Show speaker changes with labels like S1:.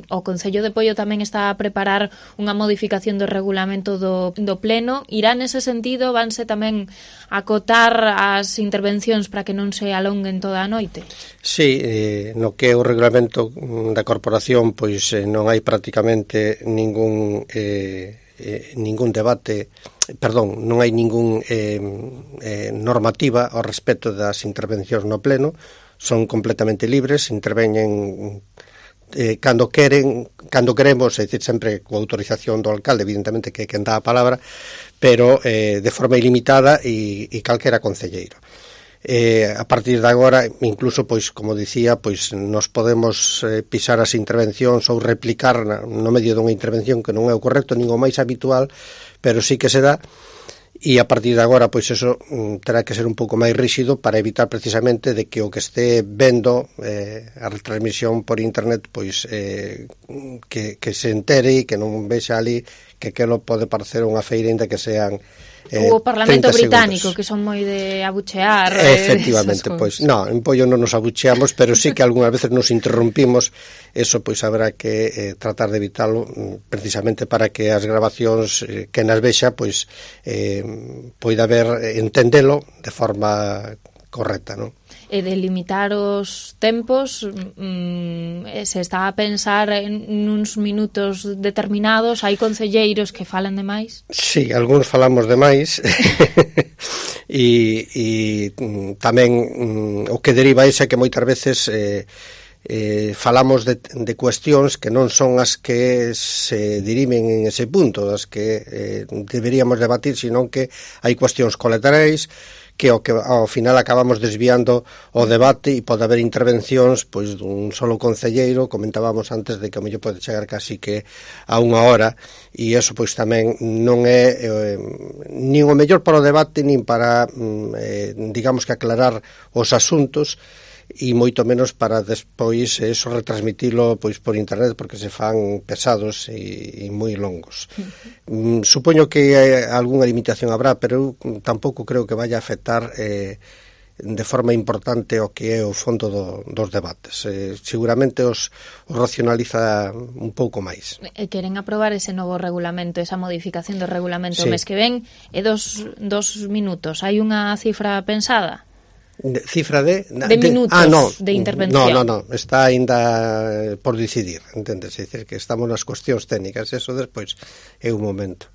S1: O Concello de Poio tamén está a preparar unha modificación do regulamento do Pleno. Irá nese sentido? Vanse tamén acotar as intervencións para que non se alonguen toda a noite?
S2: Sí, no que é o regulamento da corporación, pois non hai prácticamente ningún debate, non hai ningún normativa ao respecto das intervencións no Pleno. Son completamente libres, interveñen cando queremos, é dicir, sempre coa autorización do alcalde, evidentemente que é quen dá a palabra, pero de forma ilimitada e calquera concelleiro. A partir de agora, incluso, pois, como dicía, pois nos podemos pisar as intervencións ou replicar no medio dunha intervención que non é o correcto, nin o máis habitual, pero sí que se dá. E a partir de agora, pois eso terá que ser un pouco máis ríxido para evitar precisamente de que o que este vendo a retransmisión por internet, pois que se entere e que non vexa ali que aquilo pode parecer unha feira ainda que sean
S1: o Parlamento británico, que son moi de abuchear.
S2: Efectivamente, pois en Poio non nos abucheamos, pero sí que algunhas veces nos interrompimos. Eso pois habrá que tratar de evitalo, precisamente para que as grabacións que nas vexa pois poida haber entendelo de forma correcta, non?
S1: E de limitar os tempos, se está a pensar en uns minutos determinados. Hai concelleiros que falan de máis?
S2: Sí, algúns falamos de máis e tamén o que deriva iso é que moitas veces falamos de cuestións que non son as que se dirimen en ese punto, das que deberíamos debatir, senón que hai cuestións colaterais que ao final acabamos desviando o debate e pode haber intervencións pois dun solo concelleiro. Comentábamos antes de que o mellor pode chegar casi que a unha hora, e eso pois tamén non é nin o mellor para o debate nin para digamos que aclarar os asuntos, e moito menos para despois eso retransmitilo pois por internet, porque se fan pesados e moi longos. Supoño que algunha limitación habrá, pero eu tampouco creo que vaya a afectar de forma importante o que é o fondo dos debates. Seguramente os racionaliza un pouco máis.
S1: Queren aprobar ese novo regulamento, esa modificación do regulamento o mes que ven, e dos minutos. Hai unha cifra pensada?
S2: Cifra de
S1: minutos de intervención.
S2: No, está ainda por decidir, entendes? É dicir, que estamos nas cuestións técnicas, eso despois é un momento.